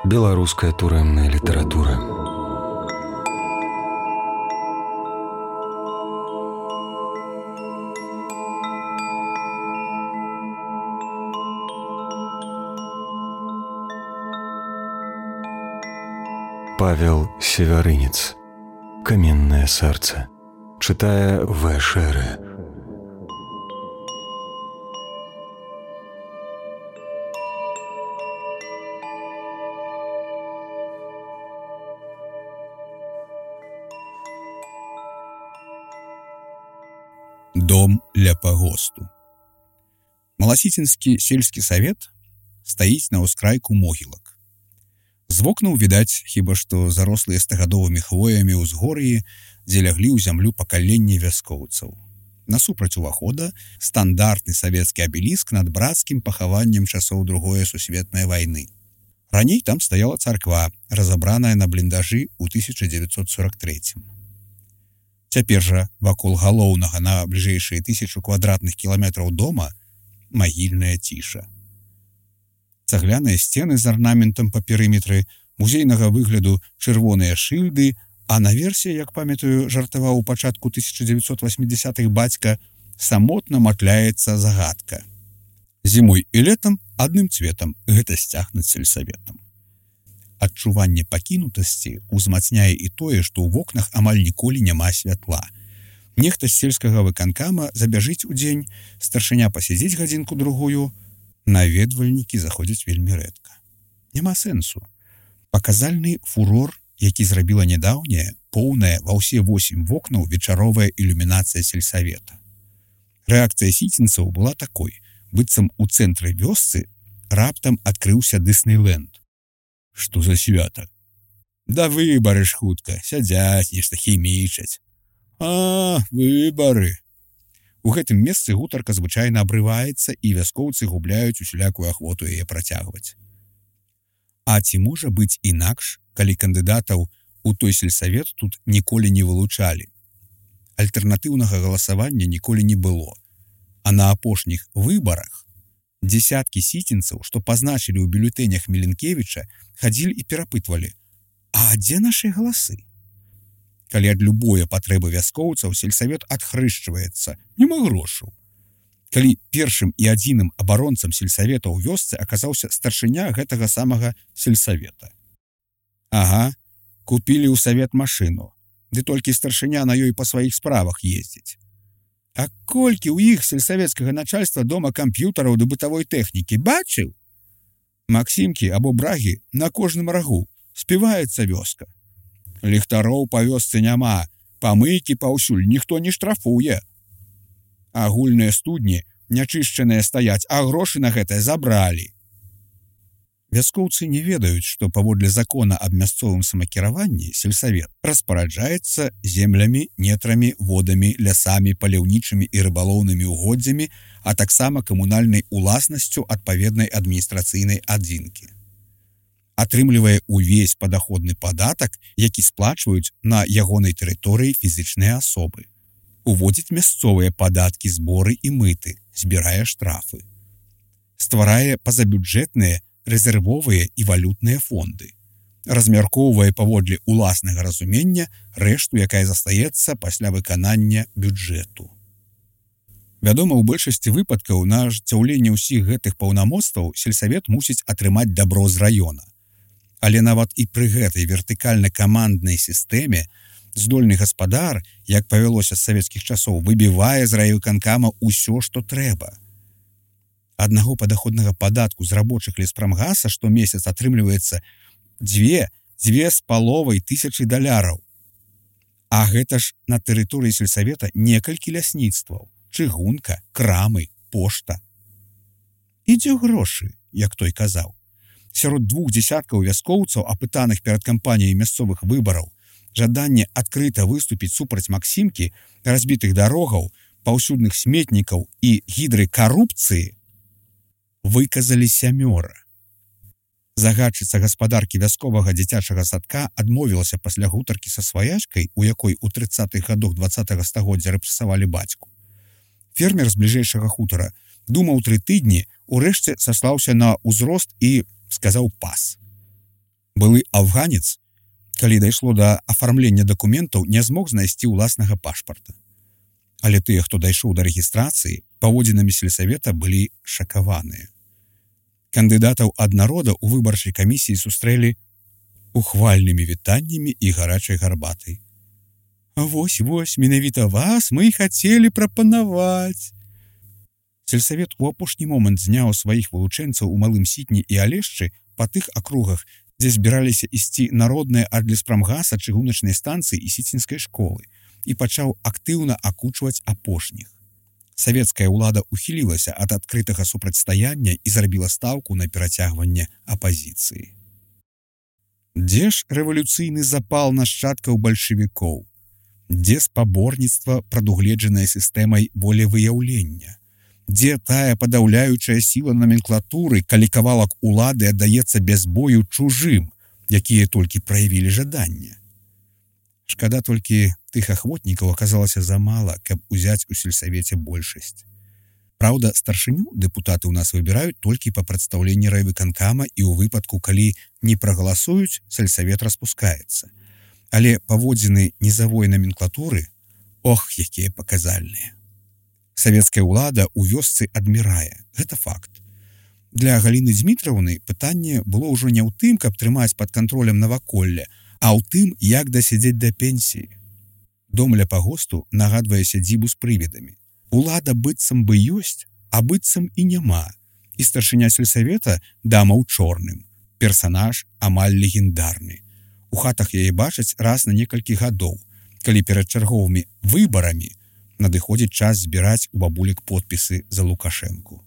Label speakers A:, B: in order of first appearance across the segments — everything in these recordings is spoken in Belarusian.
A: Беларуская турэмная літаратура. Павел Севярынец. Каменное сердце. Читая В. Шеры.
B: Дом ля пагосту. Маласіцінскі сельскі савет стаіць на ўскрайку могілак. З вокнаў відаць хіба што зарослыя стагадовымі хвоямі ўзгор'і, дзе ляглі ў зямлю пакаленні вяскоўцаў. Насупраць увахода стандартны савецкі абеліск над брацкім пахаваннем часоў Другой сусветнай вайны. Раней там стаяла царква, разабраная на бліндажы ў 1943. Цяпер жа вакол галоўнага на бліжэйшыя 1000 квадратных кіламетраў дома магільная ціша. Цагляныя сцены з арнаментам па перыметры, музейнага выгляду чырвоныя шыльды, а наверсе, як памятаю, жартаваў у пачатку 1980-х бацька, самотна матляецца загадка. Зімой і летам адным цветам гэта сцяг над сельсаветам. Адчуванне пакінутасці ўзмацняе і тое, што ў вокнах амаль ніколі няма святла. Нехта з сельскага выканкама забяжыць у дзень, старшыня пасядзіць гадзінку-другую, наведвальнікі заходзяць вельмі рэдка. Няма сэнсу. Паказальны фурор, які зрабіла нядаўняя, поўная ва ўсе 8 вокнаў вечаровая ілюмінацыя сельсавета. Рэакцыя сіцінцаў была такой, быццам у цэнтры вёсцы раптам адкрыўся Дыснейленд. Што за свята? Да выбары ж хутка, сядзяць, нешта хімічаць. А, выбары. У гэтым месцы гутарка звычайна абрываецца, і вяскоўцы губляюць усялякую ахвоту яе працягваць. А ці можа быць інакш, калі кандыдатаў у той сельсавет тут ніколі не вылучалі? Альтэрнатыўнага галасавання ніколі не было. А на апошніх выбарах дзесяткі сіцінцаў, што пазначылі ў бюлетэнях Міленкевіча, хадзілі і перапытвалі: «А дзе нашы галасы?» Калі ад любое патрэбы вяскоўцаў сельсавет адхрышчваецца, няма грошаў. Калі першым і адзіным абаронцам сельсавета ў вёсцы аказаўся старшыня гэтага самага сельсавета. Ага, купілі ў савет машыну, ды толькі старшыня на ёй па сваіх справах ездзіць. А колькі ў іх сельсавецкага начальства дома камп'ютараў ды бытавой тэхнікі, бачыў? Максімкі або брагі на кожным рагу, співаецца вёска. Ліхтароў па вёсцы няма, памыйкі паўсюль ніхто не штрафуе. Агульныя студні нячышчаныя стаяць, а грошы на гэта забралі. Вяскоўцы не ведаюць, што паводле закона аб мясцовым самакіраванні сельсавет распараджаецца землямі, нетрамі, водамі, лясамі, паляўнічымі і рыбалоўнымі угоддзямі, а таксама камунальнай уласнасцю адпаведнай адміністрацыйнай адзінкі. Атрымлівае ўвесь падаходны падатак, які сплачваюць на ягонай тэрыторыі фізічныя асобы. Уводзіць мясцовыя падаткі, зборы і мыты, збірае штрафы. Стварае пазабюджэтныя, рэзервовыя і валютныя фонды. Размяркоўвае паводле уласнага разумення рэшту, якая застаецца пасля выканання бюджэту. Вядома, у большасці выпадкаў на ажыццяўленне ўсіх гэтых паўнамоцтваў сельсавет мусіць атрымаць дабро з раёна. Але нават і пры гэтай вертыкальна-каманднай сістэме здольны гаспадар, як павялося з савецкіх часоў, выбівае з райвыканкама ўсё, што трэба. Аднаго падаходнага падатку з рабочых леспрамгаса штомесяц атрымліваецца 2,5 тысячы даляраў. А гэта ж на тэрыторыі сельсавета некалькі лясніцтваў, чыгунка, крамы, пошта. І дзе грошы, як той казаў. Сярод 2 дзесяткаў вяскоўцаў, апытаных перад кампаніяй мясцовых выбараў, жаданне адкрыта выступіць супраць Максімкі, разбітых дарогаў, паўсюдных сметнікаў і гідрыкарупцыі выказалі 7. Загадчыца гаспадаркі вясковага дзіцячага садка адмовілася пасля гутаркі са сваячкай, у якой у 30-х гадах 20-го стагоддзя рэпрэсавалі бацьку. Фермер з бліжэйшага хутара думаў 3 тыдні, урэшце саслаўся на ўзрост і сказаў пас. Былы афганец, калі дайшло да афармлення дакументаў, не змог знайсці ўласнага пашпарта. Але тыя, хто дайшоў да рэгістрацыі, паводзінамі сельсавета былі шакаваныя. Кандыдатаў ад народа ў выбарчай камісіі сустрэлі ухвальнымі вітаннямі і гарачай гарбатай. Вось, менавіта вас мы і хацелі прапанаваць. Сельсавет у апошні момант зняў сваіх вылучэнцаў у Малым Сітні і Алешчы па тых акругах, дзе збіраліся ісці народныя ад леспрамгаса, чыгуначнай станцыі і сіцінскай школы, і пачаў актыўна акучваць апошніх. Савецкая ўлада ухілілася ад адкрытага супрацьстаяння і зрабіла стаўку на перацягванне апазіцыі. Дзе ж рэвалюцыйны запал нашчадкаў бальшавікоў? Дзе спаборніцтва, прадугледжанае сістэмай волевыяўлення? Дзе тая падаўляючая сіла наменклатуры, калі кавалак улады аддаецца без бою чужым, якія толькі праявілі жаданне? Шкада толькі тых ахвотнікаў аказалася замала, каб узяць у сельсавеце большасць. Праўда, старшыню дэпутаты ў нас выбіраюць толькі па прадстаўленні райвыканкама і ў выпадку, калі не прагаласуюць, сельсавет распускаецца. Але паводзіны нізавой наменклатуры, ох, якія паказальныя. Савецкая ўлада ў вёсцы адмірае. Гэта факт. Для Галіны Дзмітраўны пытанне было ўжо не ў тым, каб трымаць пад кантролем наваколле, а ў тым, як дасядзець да пенсіі. Дом ля пагосту нагадвае сядзібу з прывідамі. Улада быццам бы ёсць, а быццам і няма. І старшыня сельсавета дама ў чорным. Персанаж амаль легендарны. У хатах яе бачаць раз на некалькі гадоў, калі перад чарговымі выбарамі надыходзіць час збіраць у бабулек подпісы за Лукашэнку.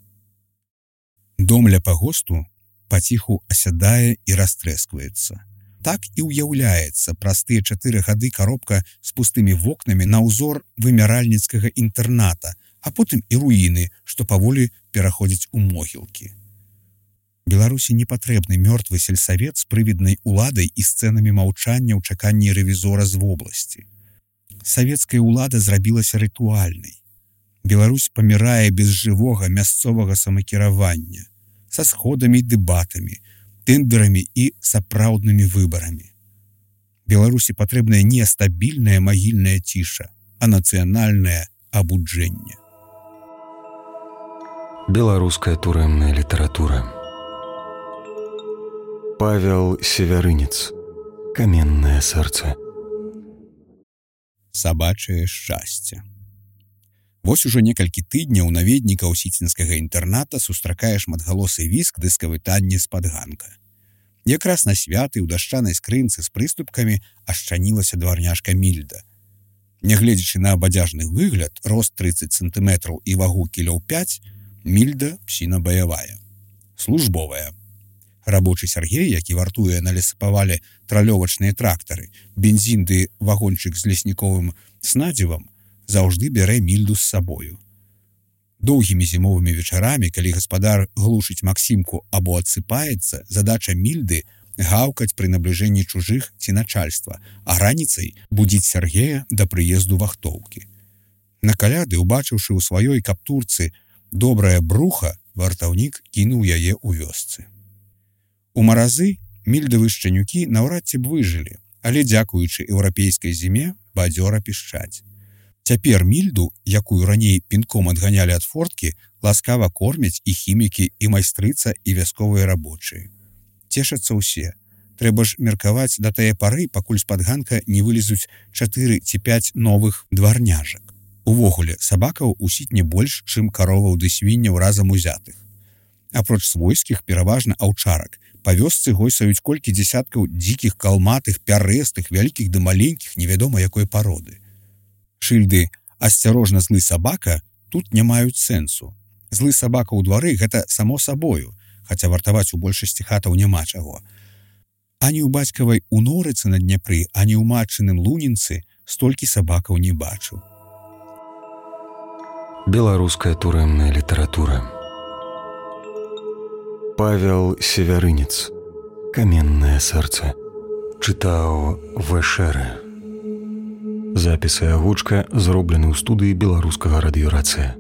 B: Дом ля пагосту паціху асядае і растрэскваецца. Так і ўяўляецца праз тыя 4 гады каробка з пустымі вокнамі на ўзор вымяральніцкага інтэрната, а потым і руіны, што паволі пераходзяць у могілкі. Беларусі не патрэбны мёртвы сельсавет з прывіднай уладай і сцэнамі маўчання ў чаканні рэвізора з вобласці. Савецкая ўлада зрабілася рытуальнай. Беларусь памірае без жывога мясцовага самакіравання, са сходамі і дэбатамі, тэндерамі і сапраўднымі выбарамі. Беларусі патрэбная не стабільная магільная ціша, а нацыянальнае абуджэнне.
A: Беларуская турэмная літаратура. Павел Севярынец. Каменнае сэрца.
B: Сабачае шчасце. Вось ужо некалькі тыдняў наведнікаў сіцінскага інтэрната сустракае шматгалосы віск дыскавытанне з-пад ганка. Якраз на святы ў дашчанай скрынцы з прыступкамі ашчанілася дварняшка Мільда. Нягледзячы на абадзяжны выгляд, рост 30 сантыметраў і вагу кілоў 5, Мільда псіна баявая. Службовая. Рабочы Сергей, які вартуе на лесапавале тралёвачныя трактары, бензін ды вагончык з лесніковым снадзівам, заўжды бярэ Мільду з сабою. Доўгімі зімовымі вечарамі, калі гаспадар глушыць Максімку або адсыпаецца, задача Мільды гаўкаць пры набліжэнні чужых ці начальства, а раніцай будзіць Сергея да прыезду вахтоўкі. На каляды, убачыўшы ў сваёй каптурцы добрае бруха, вартаўнік кінуў яе ў вёсцы. У маразы мільдавы шчанюкі наўрад ці б выжылі, але дзякуючы еўрапейскай зіме бадзёра пішчаць. Цяпер Мільду, якую раней пінком адганялі ад форткі, ласкава кормяць і хімікі, і майстрыца, і вясковыя рабочыя. Цешацца ўсе. Трэба ж меркаваць да тае пары, пакуль з-пад ганка не вылезуць 4 ці 5 новых дварняжак. Увогуле, сабакаў у Сітні больш, чым кароваў ды свінняў разам узятых. Апроч свойскіх, пераважна аўчарак, па вёсцы гойсаюць колькі дзесяткаў дзікіх, калматых, пярэстых, вялікіх ды маленькіх, невядома якой пароды. Шыльды «Асцярожна, злы сабака» тут не маюць сэнсу. Злы сабака ў двары – гэта само сабою, хаця вартаваць у большасці хатаў няма чаго. Ані ў бацькавай у Норыцы на Дняпры, ані ў матчыным Лунінцы столькі сабакаў не бачыў.
A: Беларуская турэмная літаратура. Павел Севярынец. Каменнае сэрца. Чытаў В.Ш. Запіс і агучка зроблены ў студыі беларускага радыёрацыя.